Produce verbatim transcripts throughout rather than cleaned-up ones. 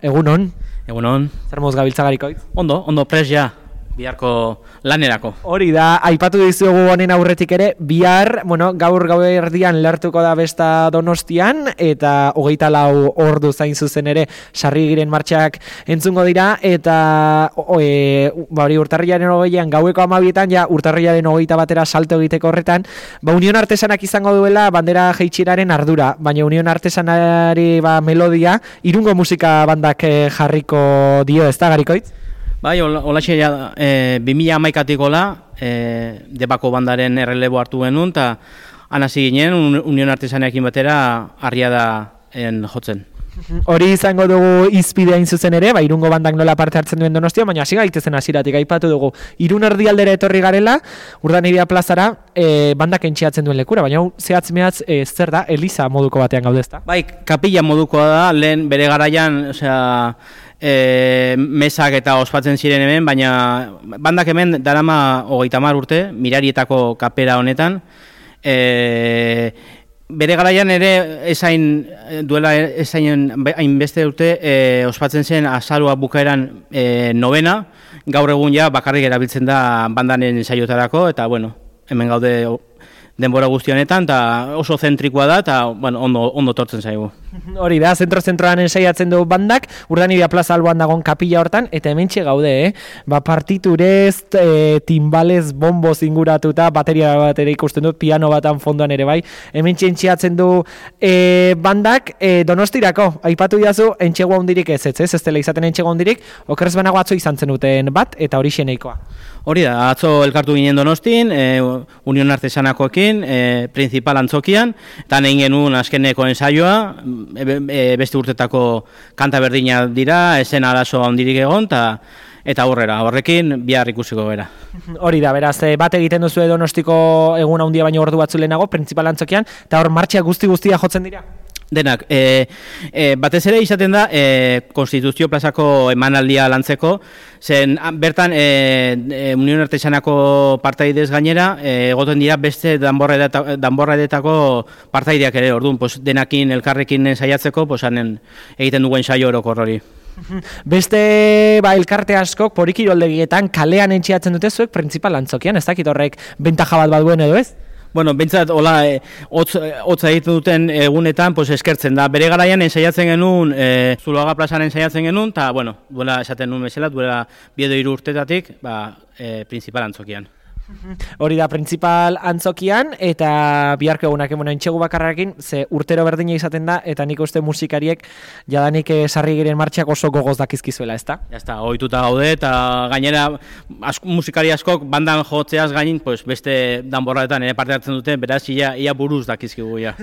Egunon. Egunon. Zer moz gabiltza Garikoitz? Ondo, ondo pres ja, biharko lanerako. Hori da, aipatu dizugu honen aurretik ere, bihar, bueno, gaur gau erdian lertuko da besta Donostian, eta hogeita lau ordu zain zuzen ere sarrigiren martxak entzungo dira, eta o, e, ba, hori urtarrilaren hogeian gaueko amabietan, ja urtarrilaren hogeita batera salto egiteko horretan, ba Union Artesanak izango duela bandera jeitxiraren ardura, baina Union Artesanari ba, melodia, Irungo musika bandak eh, jarriko dio, ez da Garikoitz? Bai, holaxe ja, e, bi mila hamaikatik gola, e, Debako bandaren errelebo hartu genuen, eta anasi ginen, Union Artesanekin batera, harria da en jotzen. Hori izango dugu izpidea zuzen ere, ba, Irungo bandak nola parte hartzen duen Donostia, baina hasi gaitezen hasieratik aipatu dugu. Irun erdialdera etorri garela, Urdanibia plazara, e, bandak entxeatzen duen lekura, baina zehatz mehatz e, zer da, Eliza moduko batean gaude ezta? Bai, kapilla modukoa da, lehen bere garaian, osea, e, mesak eta ospatzen ziren hemen, baina bandak hemen darama hogeita hamar urte, Mirarietako kapera honetan, e, bere garaian ere ezain duela ezain hainbeste urte e, ospatzen zen azarua bukaeran e, novena, gaur egun ja bakarrik erabiltzen da bandanen saiotarako, eta bueno, hemen gaude denbora guzti honetan, eta oso zentrikoa da, eta bueno, ondo, ondo tortzen zaigu. Hori da, zentro-zentroan ensaiatzen du bandak, Urdanibia plaza alboan dagoen kapilla hortan, eta hementxe gaude, eh? Ba, partiturez, e, timbalez, bomboz inguratuta, bateria bat ere ikusten dut, piano batan fondoan ere bai, hementxe entxeatzen du e, bandak e, Donostirako, aipatu diazu, entxego handirik ez, ez, ez, ez dela izaten entxego handirik, okerrez banago atzo izan zen duten bat, eta hori xeneikoa. Hori da, atzo elkartu ginen Donostin, e, Union Artesanakoekin, e, principal antzokian, eta nahi genuen azkeneko ensaioa, e, e, beste urtetako kanta berdina dira, esen arazo handirik egon, ta, eta aurrera, horrekin bihar ikusiko gara. Hori da, beraz, bat egiten duzu Donostiko egun handia baino ordu batzu lehenago, principal antzokian, eta hor martxia guzti guztia jotzen dira? Denak, e, e, batez ere izaten da e, Konstituzio plazako emanaldia lantzeko, zen bertan e, e, Union Artesanako partaidez gainera, e, egoten dira beste danborradetako partaideak ere, orduan, pues, denakin elkarrekin saiatzeko, pues, anen, egiten duen saio orokor hori. Beste ba, elkarte askok porikiroldegietan kalean entxiatzen dute zuek principal antzokian, ez dakit horrek bentaja bat bat duen edo ez? Bueno, bentsat, hola, e, hotza egiten duten egunetan, pues, eskertzen da. Bere garaian ensaiatzen genuen, e, Zuloaga plazan ensaiatzen genuen, eta, bueno, duela esaten nuen bezala, duela biedo hiru urtetatik, ba, e, principal antzokian. Hori da, principal antzokian, eta biharko egunak emona entxegu bakarrarekin, ze urtero berdina izaten da, eta nik uste musikariek jadanik sarrigiren martxak oso gogoz dakizkizuela, ezta? Ja, ezta, ohituta gaude, eta gainera asko, musikari askok bandan jotzeaz gainin, pues, beste danborraetan ere parte hartzen dute, beraz, ia, ia buruz dakizkigu, ja.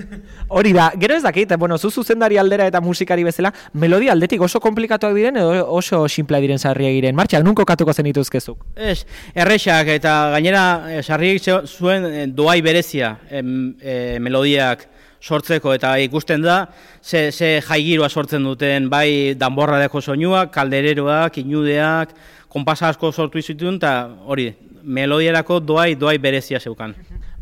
Hori da, gero ez dakit, bueno, zu zuzendari aldera eta musikari bezala, melodia aldetik oso komplikatuak diren, edo oso simplea diren sarrigiren martxak, nunko katuko zen dituzkezuk? Ez, errexak, eta gainera sarriek zuen doai berezia em, e, melodiak sortzeko, eta ikusten da ze, ze jaigiroa sortzen duten, bai danborradeko soinuak, kaldereroak, inudeak, konpasa asko sortu izituen, eta hori, melodiarako doai, doai berezia zeukan.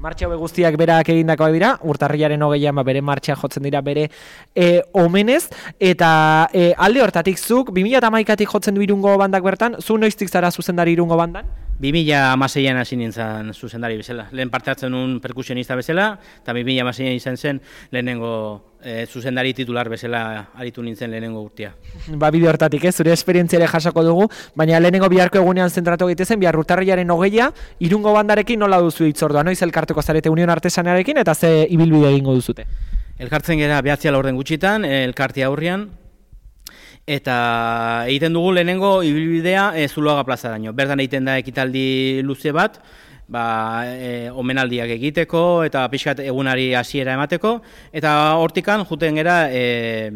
Martxa hauek guztiak berak egindakoak dira, urtarrilaren hogeian ba, bere martxa jotzen dira bere e, omenez, eta e, alde hortatik zuk, bi mila hamaikatik jotzen du Irungo bandak bertan, zu noiztik zara zuzendari Irungo bandan? bi mila hamaseian hasi nintzen zuzendari bezala. Lehen parte hartzen un perkusionista bezala, eta bi mila hamaseian izan zen lehenengo e, zuzendari titular bezala aritu nintzen lehenengo urtea. Ba, bide hortatik, ez, zure esperientziare jasako dugu, baina lehenengo biharko egunean zentratu egitezen, bihar urtarrilaren hogeia, Irungo bandarekin nola duzu hitzordua, noiz elkartuko zarete Union Artesanarekin, eta ze ibilbide egingo duzute? Elkartzen gera behatzia laurden gutxitan, elkartia aurrian, eta egiten dugu lehenengo ibilbidea e, Zuloaga plazaraino. Bertan egiten da ekitaldi luze bat, ba, e, omenaldiak egiteko eta pixkat egunari hasiera emateko, eta hortikan juten gera e,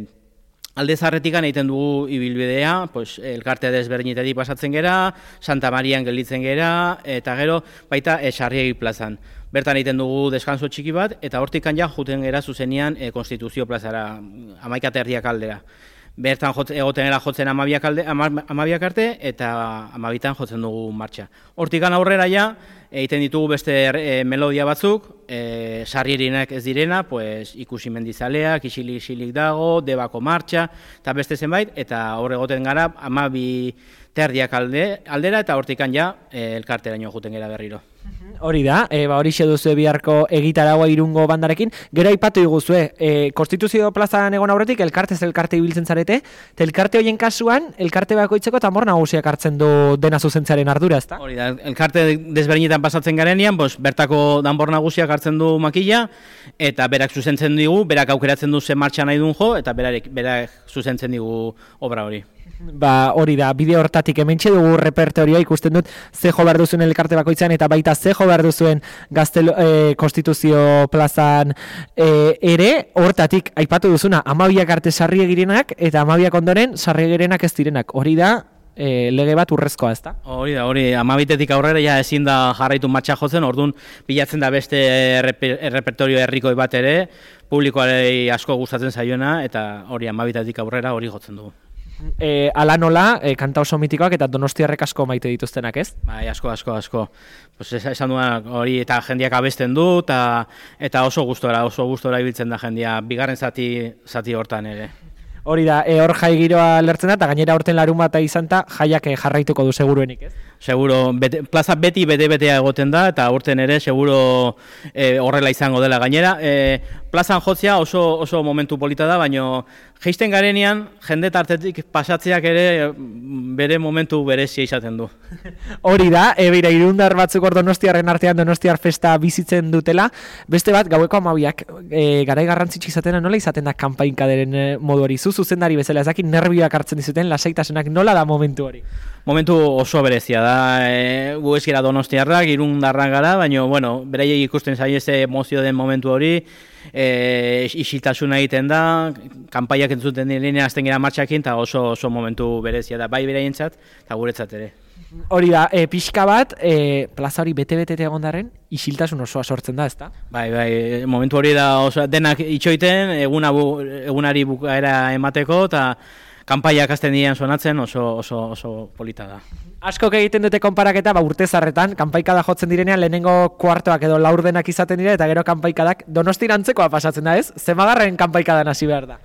alde zarretikan egiten dugu ibilbidea, pues, elkartea desberdinetatik pasatzen gera, Santa Marian gelditzen gera, eta gero baita e, Sarriegi plazan. Bertan egiten dugu deskanso txiki bat, eta hortikan ja juten gera zuzenean e, Konstituzio plazara, hamaika eta erdiak aldera. bertan jot, egotenera jotzen amabiak, alde, amabiak arte, eta amabitan jotzen dugu martxa. Hortikan aurrera ja, egiten ditugu beste e, melodia batzuk, e, sarrierinak ez direna, pues, ikusi mendizaleak, isilik-isilik dago, debako martxa, eta beste zenbait, eta hor egoten gara amabi terdiak alde, aldera, eta hortikan ja e, elkarteraino juten gara berriro. Hori da, e, ba, hori duzu biharko egitaragoa Irungo bandarekin. Gero aipatu diguzue, e, Konstituzio plazan egon aurretik elkartez elkarte ibiltzen zarete, eta elkarte horien kasuan, elkarte bakoitzeko tambor nagusiak hartzen du dena zuzentzaren ardura, ezta? Hori da, elkarte desberdinetan pasatzen garenean, bos, bertako danbor nagusiak hartzen du makila, eta berak zuzentzen digu, berak aukeratzen du ze martxa nahi duen jo, eta berak, berak zuzentzen digu obra hori. Ba, hori da, bideo hortatik hementxe dugu repertorioa ikusten dut ze jo behar duzuen elkarte bakoitzan eta baita ze jo behar duzuen Gaztelo, e, Konstituzio plazan e, ere, hortatik aipatu duzuna, amabiak arte sarriegirenak eta amabiak ondoren sarriegirenak ez direnak. Hori da, e, lege bat urrezkoa, ezta? Hori da, hori, amabitetik aurrera ja ezin da jarraitu matxa jotzen, orduan bilatzen da beste erreper, errepertorio herrikoi bat ere, publikoari asko gustatzen zaioena, eta hori amabitetik aurrera hori jotzen dugu. E, ala nola, e, kanta oso mitikoak eta donostiarrek asko maite dituztenak, ez? Bai, asko, asko, asko. Pues esan duan hori eta jendiak abesten du, eta, eta oso gustora, oso gustora ibiltzen da jendia, bigarren zati, zati hortan ere. Hori da, e, hor jai giroa lertzen da, eta gainera horten larun bat izan ta, jaiak jarraituko du seguruenik, ez? Seguro, bete, plaza beti bete-betea egoten da, eta urten ere seguro e, horrela izango dela gainera. E, plazan jotzea oso, oso momentu polita da, baina geisten garenean, jende tartetik pasatzeak ere bere momentu berezia izaten du. Hori da, e, beira, irundar batzuk hor donostiarren artean donostiar festa bizitzen dutela, beste bat, gaueko amabiak, e, garai garrantzitsu izatena nola izaten da kanpainkaderen e, modu hori, zu zuzendari bezala, ez dakit nervioak hartzen dizuten, lasaitasunak nola da momentu hori? Momentu oso berezia da, e, gu ez gara donostiarrak, irundarrak gara, baina, bueno, beraiek ikusten zaie ze emozio den momentu hori, e, isiltasuna egiten da, kanpaiak entzuten direnean azten gara martxakin, eta oso, oso momentu berezia da, bai beraientzat, eta guretzat ere. Hori da, e, pixka bat, e, plaza hori bete-bete egondarren, isiltasun osoa sortzen da, ezta? Bai, bai, momentu hori da oso, denak itxoiten, eguna bu, egunari bukaera emateko, eta kanpaiak hasten dian sonatzen oso, oso, oso polita da. Askok egiten dute konparaketa, ba, urtezarretan, kanpaikada jotzen direnean lehenengo kuartoak edo laurdenak izaten dira, eta gero kanpaikadak donostirantzekoa pasatzen da, ez? Zemagarren kanpaikadan hasi behar da.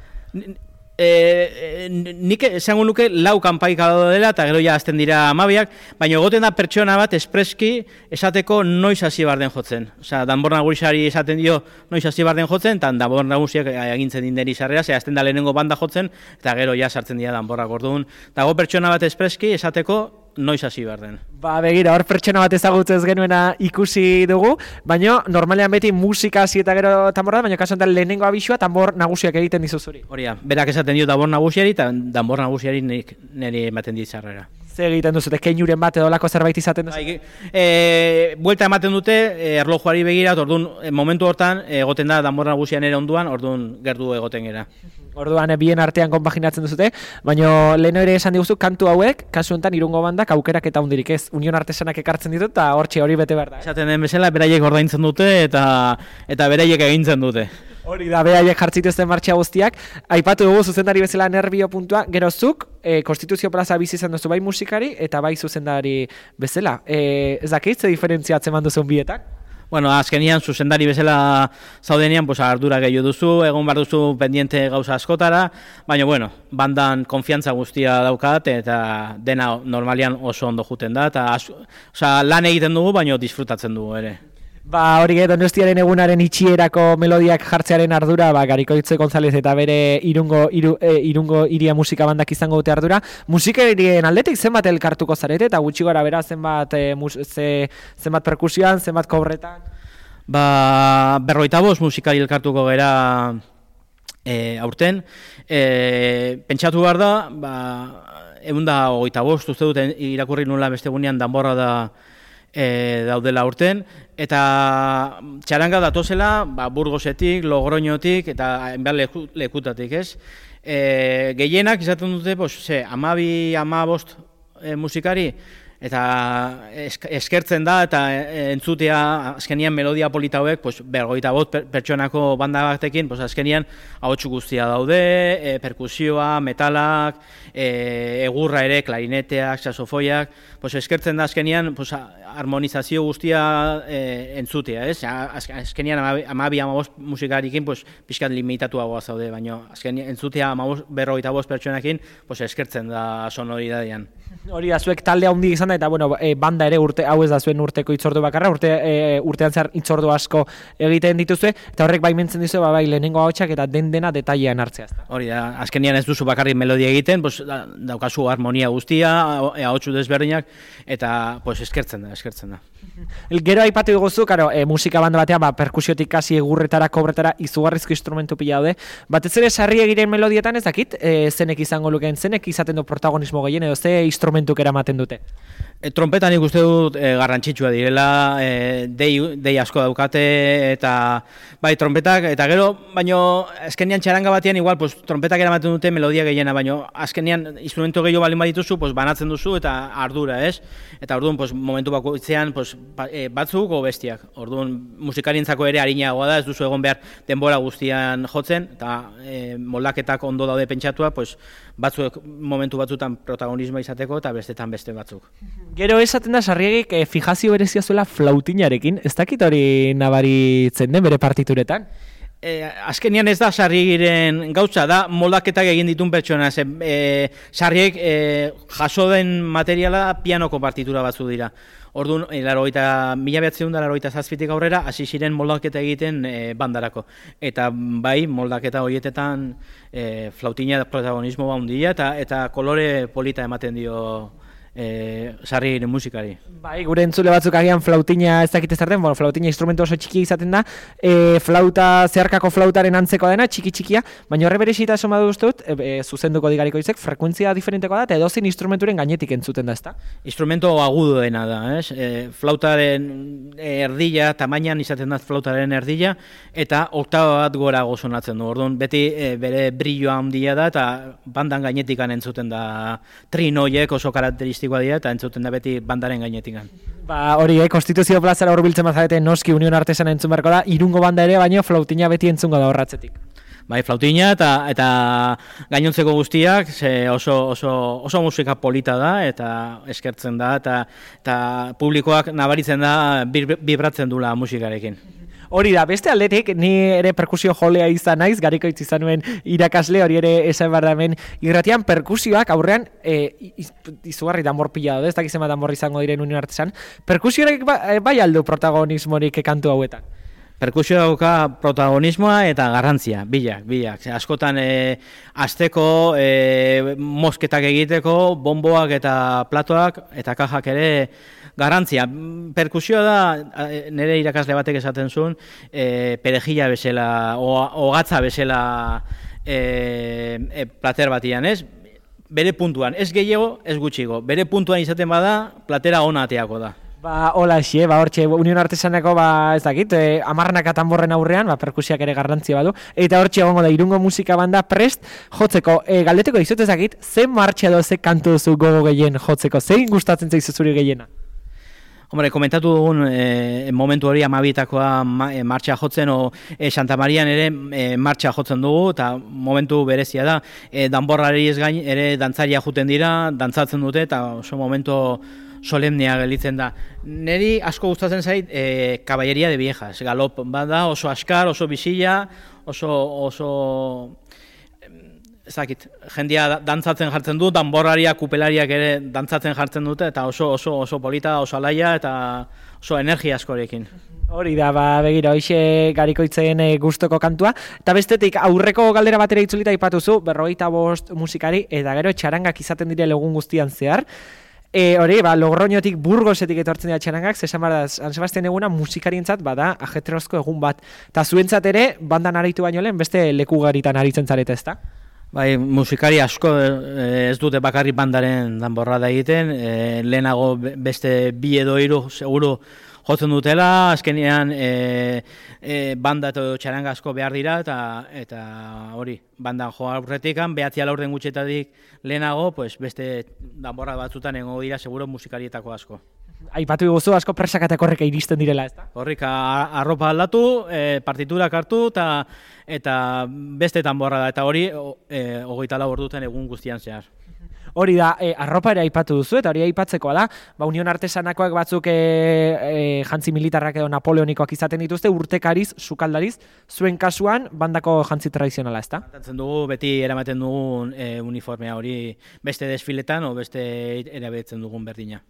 E, nik esango nuke lau kanpaikada dela eta gero ja azten dira amabiak, baina egoten da pertsona bat espreski esateko noiz hasi behar den jotzen. Osea, danbor nagusari esaten dio noiz hasi behar den jotzen, eta danbor nagusiak agintzen dinderi sarrera, ze azten da lehenengo banda jotzen, eta gero ja sartzen dira danborrak orduan. Dago pertsona bat espreski esateko noiz hasi behar den. Ba, begira, hor pertsona bat ezagutzen ez genuena ikusi dugu, baina normalean beti musika hasi eta gero tamborra da, baina kasu honetan lehenengo abisua tambor nagusiak egiten dizuzuri. Hori da, berak esaten dio danbor nagusiari eta danbor nagusiari niri ematen dit sarrera. Ze egiten duzute, keinuren bat edo lako zerbait izaten duzu? Bai, e, buelta ematen dute, e, erlojuari begira, orduan, e, momentu hortan, egoten da danbor nagusian ere onduan, orduan gertu egoten gera. Orduan, e, bien artean konpaginatzen duzute, baina lehen ere esan diguzu, kantu hauek, kasu honetan Irungo bandak aukerak eta hundirik ez, Union Artesanak ekartzen ditut, eta hortxe hori bete behar da. Esaten den bezala, beraiek ordaintzen dute, eta eta beraiek egintzen dute. Hori da, beraiek jartzituzten martxa guztiak, aipatu dugu zuzendari bezala nervio puntua, gero zuk, e, Konstituzio plaza bizi izan duzu bai musikari, eta bai zuzendari bezala. E, ez dakit, ze diferentzia atzeman duzun bietak? Bueno, azkenian zuzendari bezala zaudenean, pues, ardura gehiago duzu, egon behar duzu pendiente gauza askotara, baina, bueno, bandan konfiantza guztia daukat, eta dena normalian oso ondo juten da, eta osea, lan egiten dugu, baina disfrutatzen dugu ere. Ba, hori Donostiaren egunaren itxierako melodiak jartzearen ardura, ba, Garikoitze González eta bere Irungo, iru, e, Irungo iria musika bandak izango dute ardura. Musikerien aldetik zenbat elkartuko zarete, eta gutxi gara bera zenbat, e, mus, ze, zenbat perkusioan, zenbat kobretan? Ba, berroita bost musikari elkartuko gera e, aurten. E, pentsatu behar da, ba, egun da hogeita bost, uste dut irakurri nula beste gunean danborra da E, daudela urten, eta txaranga datozela ba, Burgosetik, Logroñotik eta hainbat leku, lekutatik, ez? E, gehienak izaten dute, pues, ze, amabi, amabost e, musikari eta eskertzen da, eta entzutea azkenian melodia polita hauek, pues, bergoita bot pertsonako banda batekin, pues, azkenian ahotsu guztia daude, e, perkusioa, metalak, e, egurra ere, klarineteak, saxofoiak, pues, eskertzen da azkenian pues, harmonizazio guztia e, entzutea, ez? Azkenian amabi amabost musikarikin pues, pixkat limitatuagoa zaude, baina azkenian entzutea amabost berrogeita bost pertsonakin pues, eskertzen da sonoridadian. Hori da, zuek talde handi izan da, eta bueno, e, banda ere urte, hau ez da zuen urteko itzordu bakarra, urte, e, urtean zehar itzordu asko egiten dituzue, eta horrek baimentzen dizu, ba, bai, lehenengo ahotsak eta den dena detailean hartzea. Hori da, azkenian ez duzu bakarrik melodia egiten, pues, da, daukazu harmonia guztia, ahotsu desberdinak, eta pues, eskertzen da, eskertzen da. Gero aipatu diguzu, karo, e, musika banda batean, ba, perkusiotik hasi egurretara, kobretara, izugarrizko instrumentu pila daude. Batez ere sarri egiren melodietan ez dakit, e, zenek izango lukeen, zenek izaten du protagonismo gehien, edo ze instrumentuk eramaten dute? E, trompetan ikuste dut e, garrantzitsua direla, e, dei, dei asko daukate, eta bai, trompetak, eta gero, baino, azkenian txaranga batean, igual, pues, trompetak eramaten dute melodia gehiena, baino, azkenian instrumento gehiago balin badituzu, pues, banatzen duzu, eta ardura, ez? Eta orduan, pues, momentu bakoitzean, pues, batzuk o bestiak. Orduan, musikarientzako ere harinagoa da, ez duzu egon behar denbora guztian jotzen, eta e, moldaketak ondo daude pentsatua, pues, batzuk momentu batzutan protagonismoa izateko, eta bestetan beste batzuk. Gero esaten da Sarriegik e, fijazio berezia zuela flautinarekin, ez dakit hori nabaritzen den bere partituretan? E, azkenian ez da Sarriegiren gautza, da moldaketak egin ditun pertsona. Ze, e, Sarrieg e, jaso den materiala pianoko partitura batzu dira. Orduan, mila behatziehun da laurogeita zazpitik aurrera, hasi ziren moldaketa egiten e, bandarako. Eta bai, moldaketa horietetan e, flautina protagonismo handia eta, eta kolore polita ematen dio E, Sarrigiren musikari. Bai, gure entzule batzuk agian flautina ez dakite zer den, bueno, flautina instrumentu oso txiki izaten da, e, flauta, zeharkako flautaren antzeko dena, txiki-txikia, baina horre berezita esan badu dut, e, e, zuzenduko digariko izek, frekuentzia diferenteko da, eta edozein instrumenturen gainetik entzuten da, ezta? Instrumento agudo dena da, ez? E, flautaren erdila, tamainan izaten da flautaren erdila, eta oktaba bat gora gozonatzen du, orduan beti e, bere brilloa handia da, eta bandan gainetikan entzuten da trinoiek oso karakteristik dira, eta entzuten da beti bandaren gainetikan. Ba, hori, eh, Konstituzio plazara hurbiltzen bazarete noski Unión Artesana entzun beharko da, Irungo banda ere, baino flautina beti entzungo da horratzetik. Bai, flautina eta eta gainontzeko guztiak ze oso, oso, oso musika polita da, eta eskertzen da, eta, eta publikoak nabaritzen da, bibratzen dula musikarekin. Hori da, beste aldetik, ni ere perkusio jolea izan naiz, Garikoitz izan nuen irakasle, hori ere esan behar da hemen irratian, perkusioak aurrean e, izugarri danbor pila daude, ez dakizema danbor izango diren Unión Artesan, perkusioak ba, bai aldu protagonismorik kantu hauetan? Perkusio dauka protagonismoa eta garrantzia, bilak, bilak. Askotan e, asteko, e, mosketak egiteko, bomboak eta platoak eta kajak ere garrantzia. Perkusioa da, nire irakasle batek esaten zuen, e, perejila bezala, ogatza bezala e, e, plater batian, ez? Bere puntuan, ez gehiago, ez gutxigo. Bere puntuan izaten bada, platera ona ateako da. Ba, hola xe, ba, hortxe, Unión Artesanako, ba, ez dakit, e, amarnak atanborren aurrean, ba, perkusiak ere garrantzia badu, eta hortxe egongo da, Irungo musika banda prest jotzeko, e, galdeteko dizut ez dakit, ze martxa edo ze kantu duzu gogo gehien jotzeko, zein gustatzen zaizu zuri gehiena? Hombre, komentatu dugun e, momentu hori amabitakoa ma, e, martxa jotzen, o e, Santa Marian ere e, martxa jotzen dugu, eta momentu berezia da, e, danborrari ez gain, ere dantzaria juten dira, dantzatzen dute, eta oso momentu solemnea gelitzen da. Neri asko gustatzen zait e, Caballería de Viejas, galop bada, oso askar, oso bisila, oso, oso ezakit, jendia dantzatzen jartzen du, danborrariak, kupelariak ere dantzatzen jartzen dute, eta oso, oso, oso polita, oso alaia, eta oso energia askorekin. Hori da, ba, begira, hoxe Garikoitzen e, gustoko kantua. Eta bestetik, aurreko galdera batera itzulita aipatuzu, berrogeita bost musikari, eta gero txarangak izaten dire egun guztian zehar. E, hori, ba, Logroñotik, Burgosetik etortzen dira txarangak, zesan bada, San Sebastian eguna musikarientzat bada ajetrozko egun bat. Eta zuentzat ere, bandan aritu baino lehen, beste lekugaritan aritzen zarete, ezta? Bai, musikari asko ez dute bakarrik bandaren danborrada egiten, e, lehenago beste bi edo hiru seguru jotzen dutela, azkenean e, e, banda eta txaranga asko behar dira, eta eta hori, bandan joa aurretikan, behatzia laurden gutxetatik lehenago, pues, beste danborra batzutan egongo dira, seguro musikarietako asko. Aipatu guzu asko presakatek horreka iristen direla, ezta? Horrik arropa aldatu, e, partiturak hartu, eta, eta beste danborra da, eta hori e, hogeita lau ordutan egun guztian zehar. Hori da, e, arropa ere aipatu duzu, eta hori aipatzekoa da, ba, Union Artesanakoak batzuk e, e, jantzi militarrak edo napoleonikoak izaten dituzte, urtekariz, sukaldariz, zuen kasuan bandako jantzi tradizionala, ezta? Tratatzen dugu, beti eramaten dugun e, uniformea hori beste desfiletan, o beste erabiltzen dugun berdina.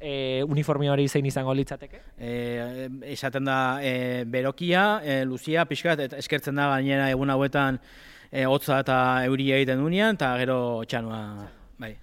E, uniformea hori zein izango litzateke? E, esaten da e, berokia, e, luzia, pixkat, eta eskertzen da gainera egun hauetan e, hotza eta euria egiten dunean, eta gero txanoa. Bai.